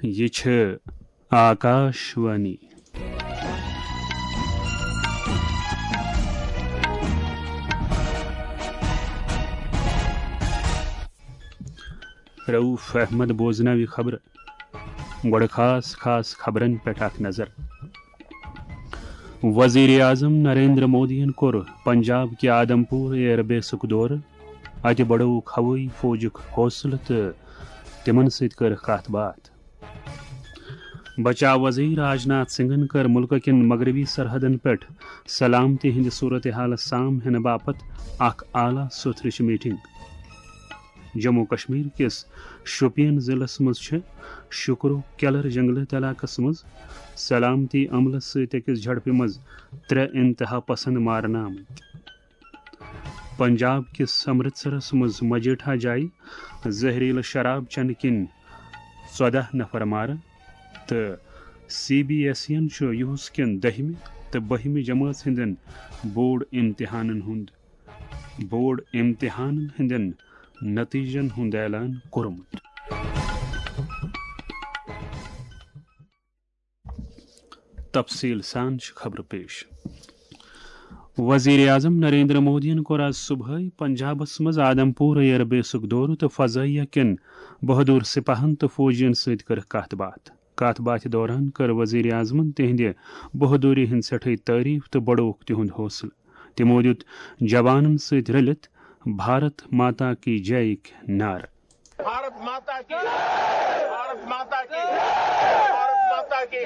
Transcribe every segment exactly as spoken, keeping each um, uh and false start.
یہِ چھِ آکاش وانی۔ رؤف احمد بوزناوِ خبرٕ۔ گۄڈٕ خاص خاص خبرن پٮ۪ٹھ اکھ نظر۔ وزیر اعظم نریندر مودیَن کوٚر پنجاب کہِ آدم پور ایئر بیسُک دورٕ۔ اَتہِ بڑووُکھ ہوٲیی فوجُک حوصلہٕ تہٕ تِمن سۭتۍ کٔرٕکھ کتھ باتھ۔ بچاو وزیر راج ناتھ سنگھن کٔر ملکہٕ کٮ۪ن مغربی سرحدن پٮ۪ٹھ سلامتی ہٕنٛدِ صورتحالس سام ہینہٕ باپتھ اکھ اعلیٰ سطحٕچ میٹنگ۔ جموں کشمیر کِس شوپین ضلعس منٛز چھِ شکرو کیلر جنگلہٕ علاقس منٛز سلامتی عملس سۭتۍ أکِس جھڑپہِ منٛز ترٛےٚ انتہا پسند مارنہٕ آمٕتۍ۔ پنجاب کِس امرتسرس منٛز مجیٹھا جایہِ زہریلہٕ شراب چنہٕ کِنۍ ژۄداہ نفر مارٕ تہٕ سی بی ایس ای یَن چھُ یُہُس کٮ۪ن دٔہمہِ تہٕ بٔہمہِ جمٲژ ہٕنٛدٮ۪ن بورڈ امتحانن ہُنٛد بورڈ امتحانن ہٕنٛدٮ۪ن نتیجن ہُنٛد اعلان کوٚرمُت۔ تفصیل سان چھِ خبرٕ پیش۔ وزیر اعظم نریندر مودیَن کوٚر آز صبحٲے پنجابس منٛز آدم پور ایئر بیسُک دورٕ تہٕ فضائیہ کٮ۪ن بہادر سپاہن تہٕ فوجین سۭتۍ کٔرٕکھ کتھ باتھ۔ کتھ باتھِ دوران کٔر وزیر اعظمن تِہنٛدِ بہادری ہٕنٛز سٮ۪ٹھٕے تعریف تہٕ بڑووُکھ تِہُنٛد حوصلہٕ۔ تِمو دیُت جوانن سۭتۍ رٔلِتھ بھارت ماتا کی جے یِکۍ نعرٕ۔ بھارت ماتا کی، بھارت ماتا کی، بھارت ماتا کی۔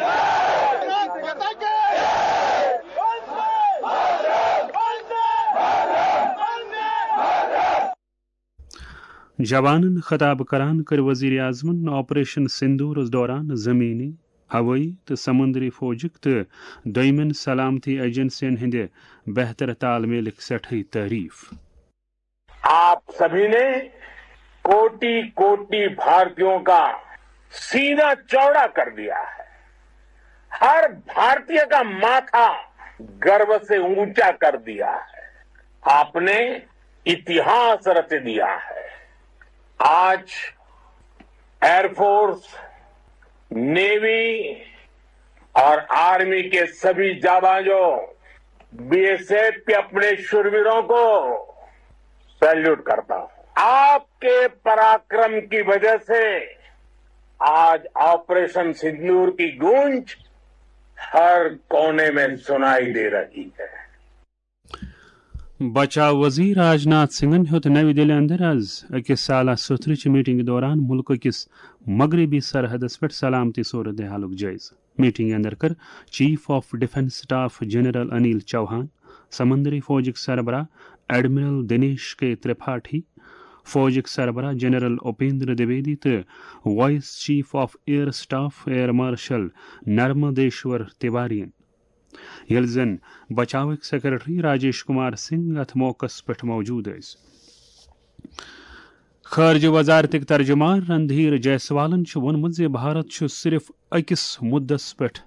جوانن خطاب کران کٔر وزیر اعظمن آپریشن سندورس دوران زمینی، ہوٲیی تہٕ سمندری فوجٕکۍ تہٕ دوٚیمٮ۪ن سلامتی ایجنسین ہٕنٛدِ بہتر تال میلٕکۍ سٮ۪ٹھٕے تعریف۔ آپ سبھی نے کوٹی کوٹی بھارتیوں کا سینہ چوڑا کر دیا ہے۔ ہر بھارتیہ کا ماتھا گرو سے اونچا کر دیا ہے۔ آپ نے اتہاس رچ دیا ہے۔ آج ایئر فورس، نیوی اور آرمی کے سبھی جانبازوں، بی ایس ایف کے اپنے شوربیروں کو سیल्यूट کرتا ہوں۔ آپ کے پراक्रम کی وجہ سے آج آپریشن سندور کی گونج ہر کونے میں سنائی دے رہی ہے۔ بچاو وزیر راج ناتھ سنگھن ہیوٚت نَوِ دِلہِ اندر از أکِس سالہ سُتھرٕچ میٹنگ دوران ملکہٕ کِس مغربی سرحدس پٮ۪ٹھ سلامتی صورتحالُک جٲیزٕ۔ میٹنگ اندر کٔر chief of defence staff general Anil Chauhan, سمندری فوجٕکۍ سربراہ ایڈمرل دنیش کے ترپاٹھی، فوجٕکۍ سربراہ جنرل اپیندر دویدی تہٕ vice chief of air staff air marshal Narmdeshwar تیواریَن، ییٚلہِ زن بچاوٕکۍ سیکرٹری راجیش کمار سنگھ اتھ موقعس پٮ۪ٹھ موجود ٲسۍ۔ خارجہ وزارتٕکۍ ترجمان رندھیر جیسوالن چھُ ووٚنمُت زِ بھارت چھُ صرف أکِس مُدس پٮ۪ٹھ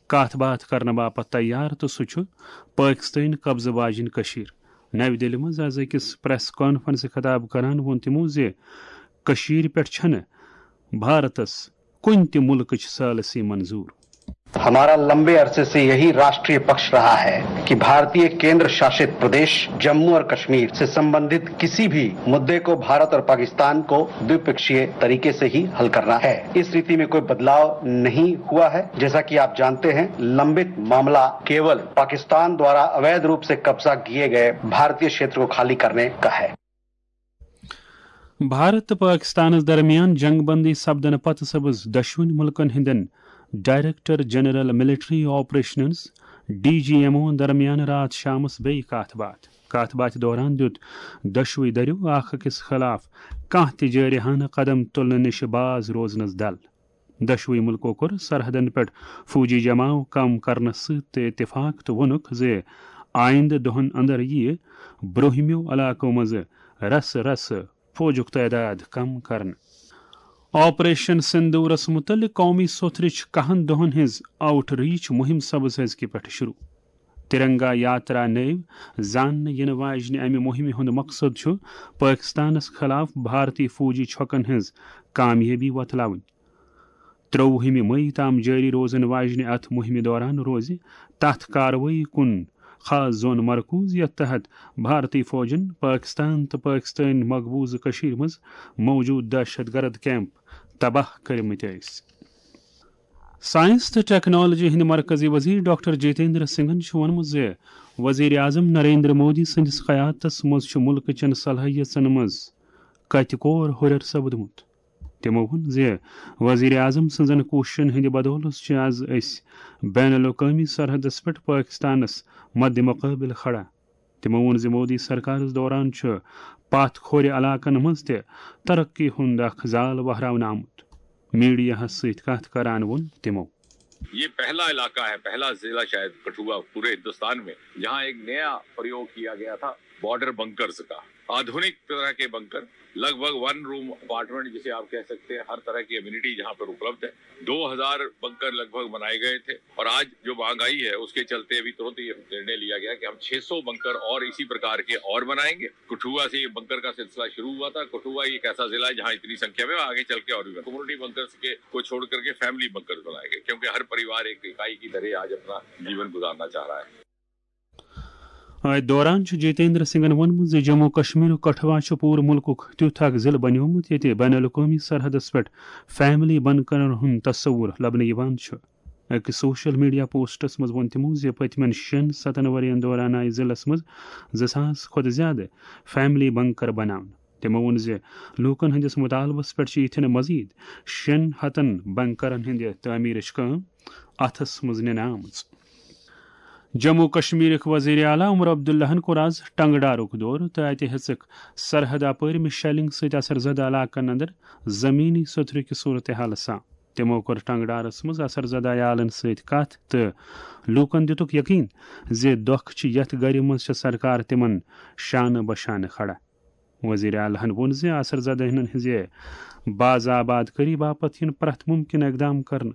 کتھ باتھ کرنہٕ باپتھ تیار تہٕ سُہ چھُ پٲکِستٲنۍ قبضہٕ واجِنۍ کٔشیٖر۔ نَوِ دِلہِ منٛز از أکِس پریس کانفرنسہِ خطاب کران ووٚن تِمو زِ کٔشیٖرِ پٮ۪ٹھ چھَنہٕ بھارتس کُنہِ تہِ مُلکٕچ ثالثی منظور۔ ہمارا لمبے عرصے سے یہی راشٹریہ پکش رہا ہے کہ بھارتیہ کیندر شاشت پردیش جموں اور کشمیر سے سمبندھت کسی بھی مدعے کو بھارت اور پاکستان کو دوپکشیہ طریقے سے ہی حل کرنا ہے۔ اس ریتی میں کوئی بدلاؤ نہیں ہوا ہے۔ جیسا کہ آپ جانتے ہیں، لمبت معاملہ کیول پاکستان دوارا اویدھ روپ سے قبضہ کیے گئے بھارتیہ کھیتر کو خالی کرنے کا ہے۔ بھارت تہٕ پٲکِستانَس درمیان جنگ بندی سپدنہٕ پتہٕ سپٕز دۄشوٕنی مُلکَن ہٕنٛدٮ۪ن director general military operations, D G M اوَن درمیان راتھ شامَس بیٚیہِ کتھ باتھ۔ کتھ باتھِ دوران دیُت دۄشوٕے دٔریو اکھ أکِس خلاف کانٛہہ تہِ جٲرحانہٕ قدم تُلنہٕ نِش باز روزنَس دل۔ دۄشوٕے مُلکو کوٚر سرحدن پٮ۪ٹھ فوجی جماو کم کرنس سۭتۍ تہِ اتفاق تہٕ ووٚنُکھ زِ آیندٕ دۄہن اندر یِیہِ برٛونٛہمٮ۪و علاقو منٛزٕ رسہٕ رسہٕ فوجُک تعداد کم کرنہٕ۔ آپریشن سندورس مُتعلق قومی سوٚتھرٕچ کاہن دۄہن ہٕنٛز آؤٹ ریچ مُہِم سپٕز أزکہِ پٮ۪ٹھٕ شروع۔ ترنگا یاترا نٲوۍ زاننہٕ یِنہٕ واجنہِ امہِ مُہِمہِ ہُنٛد مقصد چھُ پٲکِستانس خلاف بھارتی فوجی چھۄکن ہٕنٛز کامیٲبی وۄتلاوٕنۍ۔ ترٛۆوُہمہِ مئی تام جٲری روزن واجنہِ اتھ مُہِمہِ دوران روزِ تتھ کاروٲیی کُن خاص زون مرکوز، یتھ تحت بھارتی فوجن پاکستان تہٕ پاکستٲنۍ مقبوضہٕ کٔشیٖرِ منٛز موجود دہشت گرد کیمپ تباہ کٔرمٕتۍ ٲسۍ۔ ساینس تہٕ ٹیکنالوجی ہٕنٛدۍ مرکزی وزیر ڈاکٹر جتیندر سنگھن چھُ ووٚنمُت زِ وزیر اعظم نریندر مودی سٕنٛدِس قیادتس منٛز چھُ مُلکہٕ چٮ۪ن صلٲحیژن منٛز کتہِ کور ہُرٮ۪ر سپدمُت۔ تِمو ووٚن زِ وزیر اعظم سٕنٛزن کوٗششن ہٕنٛدِ بدولژ چھِ از أسۍ بین الاقوٲمی سرحدس پٮ۪ٹھ پٲکستانس مدِ مقٲبل کھڑا۔ تِمو ووٚن زِ مودی سرکارس دوران چھُ پتھ کھورِ علاقن منٛز تہِ ترقی ہُنٛد اکھ زال وہراونہٕ آمُت۔ میڈیاہس سۭتۍ کتھ کران ووٚن تِمو۔ یہ پہلا علاقہ ہے، پہلا ضلع شاید کٹھوا پورے ہندوستان میں، جہاں ایک نیا پریوگ کیا گیا تھا بارڈر بنکرز کا۔ آدھونک طرح کے بنکر، لگ بھگ ون روم اپارٹمنٹ جسے آپ کہہ سکتے ہیں، ہر طرح کی امینٹی جہاں پر اپلبدھ ہے۔ دو ہزار بنکر لگ بھگ بنائے گئے تھے اور آج جو مانگ آئی ہے اس کے چلتے ابھی ترنت یہ نرنے لیا گیا کہ ہم چھ سو بنکر اور اسی پرکار کے اور بنائیں گے۔ کٹھوا سے یہ بنکر کا سلسلہ شروع ہوا تھا۔ کٹھوا یہ ایک ایسا ضلع ہے جہاں اتنی سنکھیا میں آگے چل کے اور بھی کمیونٹی بنکرز کے کو چھوڑ کر کے فیملی بنکرز بنائے گئے، کیونکہ ہر پریوار ایک اکائی کی طرح آج اپنا جیون گزارنا چاہ رہا ہے۔ اتھ دوران چھُ جتیندر سنگھن ووٚنمُت زِ جموں کشمیرُک کٹھوا چھُ پوٗرٕ مُلکُک تیُتھ اکھ ضلعہٕ بنیومُت ییٚتہِ بین الاقوٲمی سرحدس پٮ۪ٹھ فیملی بنکرن ہُنٛد تصور لبنہٕ یِوان چھُ۔ أکِس سوشل میڈیا پوسٹس منٛز ووٚن تِمو زِ پٔتمٮ۪ن شٮ۪ن ستن ؤرین دوران آیہِ ضلعس منٛز زٕ ساس کھۄتہٕ زیادٕ فیملی بنکر بناونہٕ۔ تِمو ووٚن زِ لوٗکن ہٕنٛدِس مُطالبس پٮ۪ٹھ چھِ یِتھٮ۪ن مزید شٮ۪ن ہتن بنکرن ہٕنٛدِ تعمیرٕچ کٲم اتھس منٛز نِنہٕ آمٕژ۔ جموں کشمیرٕکۍ وزیر اعلیٰ عمر عبداللہن کوٚر آز ٹنگڈارُک دورٕ تہٕ اتہِ ہیٚژٕکھ سرحد اپٲرۍ مےٚ شیلنگ سۭتۍ اثر زدٕ علاقن اندر زمینی سوٚتھرٕ کہِ صورتحالہٕ سان۔ تِمو کوٚر ٹنگڈارس منٛز اثر زدٕ عیالن سۭتۍ کتھ تہٕ لوٗکن دِتُکھ یقین زِ دۄکھ چھِ یتھ گرِ منٛز چھِ سرکار تِمن شانہٕ بشانہٕ کھڑا۔ وزیر اعلیٰ ہن ووٚن زِ اثر زدٕ ہٕنٛزِ باز آباد کٲری باپتھ یِن پرٛٮ۪تھ مُمکِن اقدام کرنہٕ۔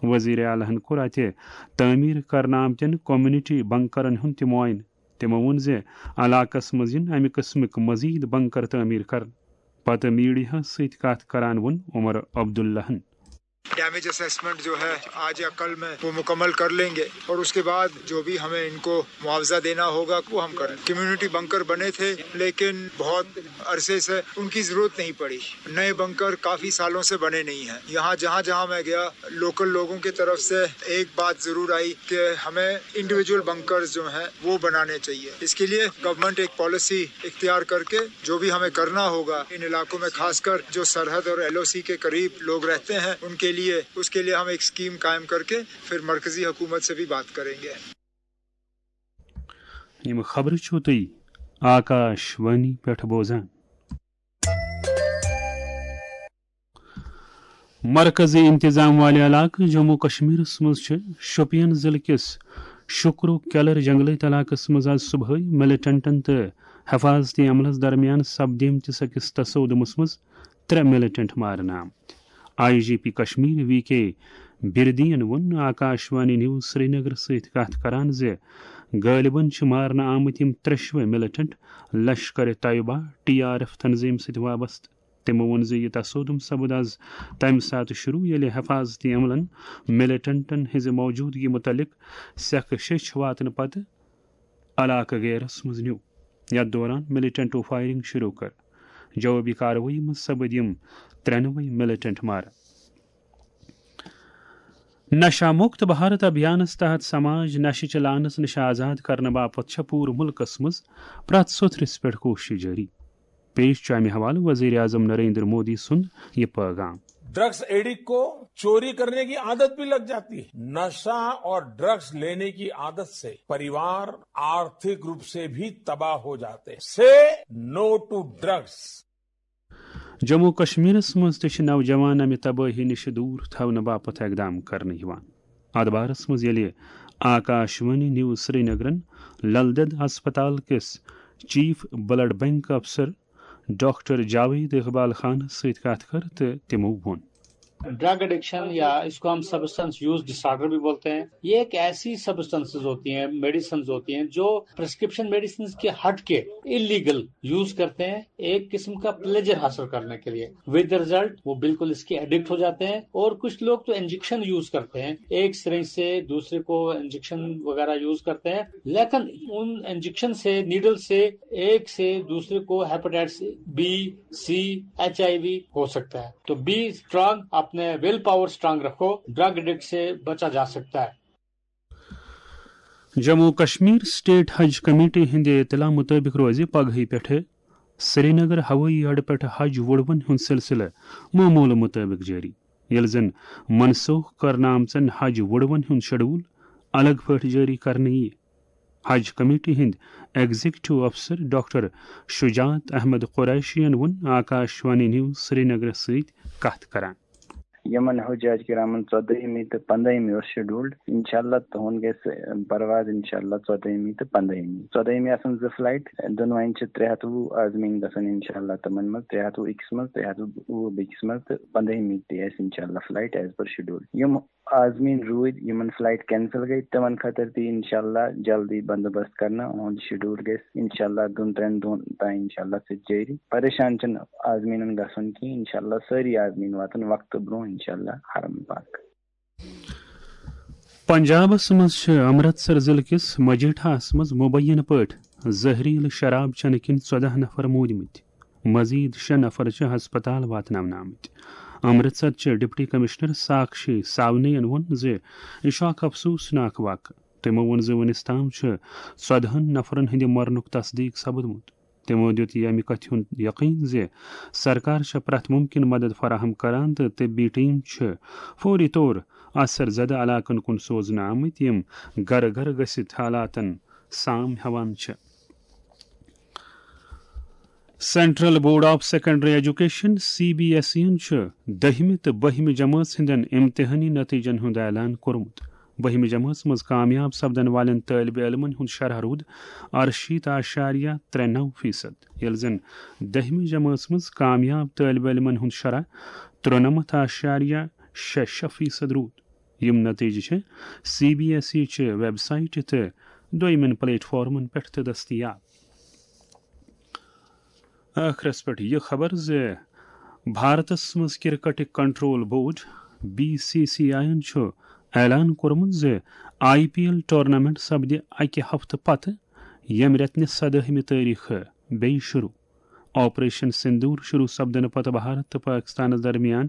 وزیر اعلیٰ ہن کوٚر اتہِ تعمیٖر کرنہٕ آمتٮ۪ن کمیونٹی بنکرن ہُنٛد تہِ معائنہٕ۔ تِمو ووٚن زِ علاقس منٛز یِن امہِ قٕسمٕک مزید بنکر تعمیٖر کرنہٕ۔ پتہٕ میڈیاہس سۭتۍ کتھ کران ووٚن عمر عبداللہن۔ ڈیمیج اسسمنٹ جو ہے آج یا کل میں وہ مکمل کر لیں گے اور اس کے بعد جو بھی ہمیں ان کو معاوضہ دینا ہوگا وہ ہم کر لیں۔ کمیونٹی بنکر بنے تھے لیکن بہت عرصے سے ان کی ضرورت نہیں پڑی۔ نئے بنکر کافی سالوں سے بنے نہیں ہیں۔ یہاں جہاں جہاں میں گیا لوکل لوگوں کی طرف سے ایک بات ضرور آئی کہ ہمیں انڈیویجول بنکرز جو ہیں وہ بنانے چاہیے۔ اس کے لیے گورنمنٹ ایک پالیسی اختیار کر کے جو بھی ہمیں کرنا ہوگا ان علاقوں میں، خاص کر جو سرحد اور ایل او سی کے قریب لوگ رہتے ہیں ان کے لیے، اس کے لیے ہم ایک اسکیم قائم کر کے پھر مرکزی حکومت سے بھی بات کریں گے۔ یِم خبرٕ چھِو تُہۍ آکاش وانی پٮ۪ٹھ بوزان۔ مرکزی انتظام والہِ علاقہٕ جموں کشمیرس منٛز چھِ شوپین ضلعہٕ کِس شکرو کیلر جنگلٲتۍ علاقس منٛز آز صبحٲے ملیٹنٹن تہٕ حفاظتی عملس درمیان سپدیمتِس أکِس تصادمس منٛز ترٛےٚ ملیٹنٹ مارنہٕ آمٕتۍ۔ I G P Kashmir V K بردین ووٚن آکاش وانی نیوز سرینگر سۭتۍ کتھ کران زِ غٲلبن چھِ مارنہٕ آمٕتۍ یِم ترٛیٚشوَے militant Lashkar Taiba, T R F تنظیم سۭتۍ وابستہٕ۔ تِمو ووٚن زِ یہِ تصادم سپُد از تَمہِ ساتہٕ شروع ییٚلہِ حفاظتی عملن ملیٹنٹن ہٕنٛزِ موجودگی مُتعلق سیکہٕ شیٚچھ واتنہٕ پتہٕ علاقہٕ گیرس منٛز نیوٗ۔ یتھ دوران ملیٹنٹو فائرنگ شروع کٔر۔ جوابی کاروٲیی منٛز سپٕدۍ یِم ترٛٮ۪نوَے ملیٹنٹ مارٕ۔ نشہ مکت بھارت ابھیانس تحت سماج نشہٕ چہِ لعنس نِش آزاد کرنہٕ باپتھ چھےٚ پوٗرٕ مُلکس منٛز پرٛٮ۪تھ سوٚتھرِس پٮ۪ٹھ کوٗشش جٲری۔ پیش چھُ امہِ حوالہٕ وزیر اعظم نریندر مودی سُنٛد یہِ پیغام۔ ड्रग्स एडिक्ट को चोरी करने की आदत भी लग जाती है। नशा और ड्रग्स लेने की आदत से परिवार आर्थिक रूप से भी तबाह हो जाते हैं। से नो टू ड्रग्स। جموں کشمیرس منٛز تہِ چھِ نوجوان امہِ تبٲہی نِش دوٗر تھاونہٕ باپتھ اقدام کرنہٕ یِوان۔ اتھ بارس منٛز ییٚلہِ آکاش وانی نیوز سرینگرن لل دٮ۪د ہسپتال کِس چیف بلڈ بینک افسر ڈاکٹر جاوید اقبال خانس سۭتۍ کتھ کٔر تہٕ تِمو ووٚن۔ ڈرگ ایڈکشن یا اس کو ہم سبسٹنس یوز ڈس آرڈر بھی بولتے ہیں، یہ ایک ایسی سبسٹنسز ہوتی ہیں، میڈیسنز ہوتی ہیں جو پرسکرپشن میڈیسنز کے ہٹ کے الیگل یوز کرتے ہیں ایک قسم کا پلیجر حاصل کرنے کے لیے۔ ود رزلٹ وہ بالکل اس کے ایڈکٹ ہو جاتے ہیں۔ اور کچھ لوگ تو انجیکشن یوز کرتے ہیں، ایک سرنج سے دوسرے کو انجیکشن وغیرہ یوز کرتے ہیں، لیکن ان انجیکشن سے، نیڈل سے ایک سے دوسرے کو hepatitis B, C, H I V ہو سکتا ہے۔ تو بی اسٹرانگ، اپنے ول پاور اسٹرانگ رکھو، ڈرگ ایڈکٹ سے بچا جا سکتا ہے۔ جموں کشمیر سٹیٹ حج کمیٹی ہٕنٛدِ اطلاع مُطٲبِق روزِ پگہٕے پٮ۪ٹھٕ سرینگر ہوٲیی اڈٕ پٮ۪ٹھٕ حج وُڑوَن ہُنٛد سلسلہٕ معموٗلہٕ مُطٲبِق جٲری، ییٚلہِ زن منسوخ کرنہٕ آمژن حج وُڑوَن ہُنٛد شیڈول الگ پٲٹھۍ جٲری کرنہٕ یِیہِ۔ حج کمیٹی ہٕنٛدۍ ایگزیکٹو افسر ڈاکٹر شجاعت احمد قریشین ووٚن آکاش وانی نیوز سرینگرس سۭتۍ کتھ کران۔ یِمن حجاج کرامن ژۄدٲہمہِ تہٕ پنٛدٲہمہِ اوس شیڈولڈ۔ انشاءاللہ تُہُنٛد گژھِ پرواز انشاءاللہ ژۄدٲہمہِ تہٕ پنٛدٲہمہِ۔ ژۄدٲہمہِ آسن زٕ فلائٹ، دۄنوَے چھِ ترٛےٚ ہَتھ وُہ عازمیٖن گژھن انشاءاللہ تِمن منٛز، ترٛےٚ ہَتھ وُہ أکِس منٛز، ترٛےٚ ہَتھ وُہ بیٚکِس منٛز تہٕ پنٛدٲہمہِ تہِ آسہِ انشاءاللہ فلائٹ as per schedule۔ یِم عازمیٖن روٗدۍ، یِمن فلائٹ کینسل گٔے، تِمن خٲطرٕ تہِ انشاءاللہ جلدی بندوبست کرنہٕ۔ اُہُنٛد شیڈول گژھِ انشاءاللہ دۄن ترٛٮ۪ن دۄہن تام انشاءاللہ سۭتۍ جٲری۔ پریشان چھِنہٕ عازمیٖنن گژھُن کینٛہہ، انشاءاللہ سٲری عازمیٖن واتن وقتہٕ برونٛہہ انشاءاللہ حرم پاک۔ پنجابس منٛز چھِ امرتسر ضلعہٕ کِس مجیٹھاہس منٛز مبینہٕ پٲٹھۍ زہریٖلہٕ شراب چنہٕ کِنۍ ژۄداہ نفر موٗدمٕتۍ۔ مزید شےٚ نفر چھِ ہسپتال واتناونہٕ آمٕتۍ۔ امرتسر چہِ ڈپٹی کمشنر ساکشی ساونیَن ووٚن زِ یہِ چھُ اکھ افسوسناک واقعہٕ۔ تِمو ووٚن زِ وُنِس تام چھُ ژۄدہَن نفرن ہٕنٛدِ مرنُک تصدیق سپدمُت۔ تِمو دِیُت ییٚمہِ کتھِ ہُنٛد یقین زِ سرکار چھےٚ پرٛٮ۪تھ مُمکِن مدد فراہم کران تہٕ طبی ٹیم چھِ فوری طور اثر زدٕ علاقن کُن سوزنہٕ آمٕتۍ، یِم گرٕ گرٕ گٔژھِتھ حالاتن سام ہٮ۪وان چھِ۔ Central board of secondary education, C B S E یَن چھُ دٔہمہِ تہٕ بٔہمہِ جمٲژ ہٕنٛدٮ۪ن امتحٲنی نتیجن ہُنٛد اعلان کوٚرمُت۔ بٔہمہِ جمٲژ منٛز کامیاب سپدن والٮ۪ن طٲلبِ علمن ہُنٛد شرح روٗد اَرشیٖتھ اعشاریہ ترٛےٚ نَو فیصد، ییٚلہِ زن دٔہمہِ جمٲژ منٛز کامیاب طٲلبِ علمن ہُنٛد شرح ترُنَمَتھ اعشاریہ شےٚ شےٚ فیصد روٗد۔ یِم نتیجہٕ چھِ سی بی ایس ای چہِ ویب سائٹہِ تہٕ دوٚیمٮ۪ن پلیٹ فارمن پٮ۪ٹھ تہِ دٔستیاب۔ ٲخرس پٮ۪ٹھ یہِ خبر زِ بھارتس منٛز کرکٹٕکۍ control board, B C C I یَن چھُ اعلان کوٚرمُت زِ آئی پی ایل ٹورنامنٹ سپدِ اکہِ ہفتہٕ پتہٕ، ییٚمہِ رٮ۪تہٕ نہِ سدٲہمہِ تٲریخہٕ بیٚیہِ شروع۔ آپریشن سندور شروع سپدنہٕ پتہٕ بھارت تہٕ پاکستانس درمیان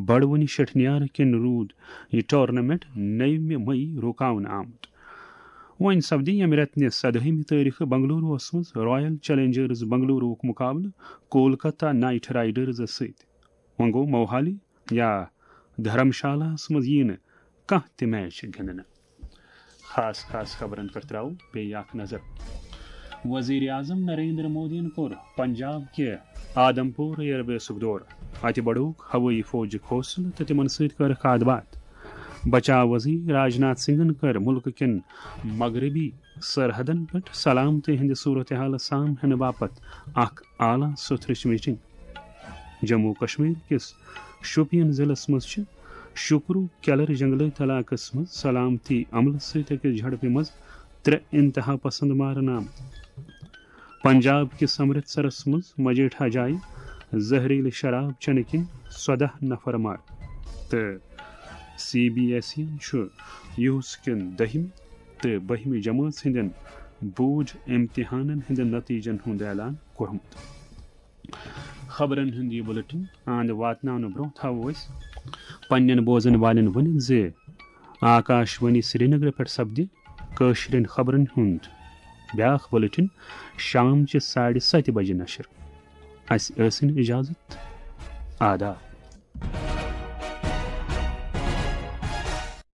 بڑوٕنہِ شٹھنیارٕ کِنۍ روٗد یہِ ٹورنامنٹ نٔومہِ مئی رُکاونہٕ آمُت۔ وۄنۍ سپدِ ییٚمہِ رٮ۪تہٕ نہِ سدٲہمہِ تٲریخہٕ بنگلوروَس منٛز رائل چیلنجرز بنگلوروُک مقابلہٕ کولکتہ نائٹ رائیڈرز سۭتۍ۔ وۄنۍ گوٚو موہالی یا دھرمشالاہَس منٛز یِیہِ نہٕ کانٛہہ تہِ میچ گِنٛدنہٕ۔ خاص خاص خبرن پٮ۪ٹھ ترٛاوو بیٚیہِ اکھ نظر۔ وزیر اعظم نریندر مودیَن کوٚر پنجاب کہِ آدم پور ایئر بیسُک دورٕ۔ اَتہِ بڑووُکھ ہوٲیی فوجُک حوصلہٕ تہٕ تِمن سۭتۍ کٔرٕکھ کتھ باتھ۔ بچاو وزیر راجناتھ سنگھن کٔر مُلکہٕ کٮ۪ن مغربی سرحدن پٮ۪ٹھ سلامتی ہٕنٛدِ صورتحالہٕ سام ہٮ۪نہٕ باپتھ اکھ اعلیٰ سطحٕچ میٹنگ۔ جموں و کشمیر کِس شوپین ضلعس منٛز چھِ شکرو کیلر جنگلٲتی علاقس منٛز سلامتی عملہٕ سۭتۍ أکِس جھڑپہِ منٛز ترٛےٚ انتہا پسند مارنہٕ آمٕتۍ۔ پنجاب کِس امرتسرس منٛز مجیٹھا جایہِ زہریٖلہٕ شراب چنہٕ کِنۍ ژۄداہ نفر مارٕ تہٕ سی بی ایس ای یَن چھُ یُہُس کٮ۪ن دٔہمہِ تہٕ بٔہمہِ جمٲژ ہٕنٛدٮ۪ن بورڈ امتحانن ہٕنٛدٮ۪ن نتیجن ہُنٛد اعلان کوٚرمُت۔ خبرن ہُنٛد یہِ بُلٹن آند واتناونہٕ برٛونٛہہ تھاوو أسۍ پننٮ۪ن بوزن والٮ۪ن ؤنِتھ زِ آکاش وانی سرینگر پٮ۪ٹھ سپدِ کٲشرٮ۪ن خبرن ہُنٛد بیٛاکھ بُلٹن شام چہِ ساڑِ ستہِ بجہِ نشر۔ اسہِ ٲسِن اجازت۔ آداب۔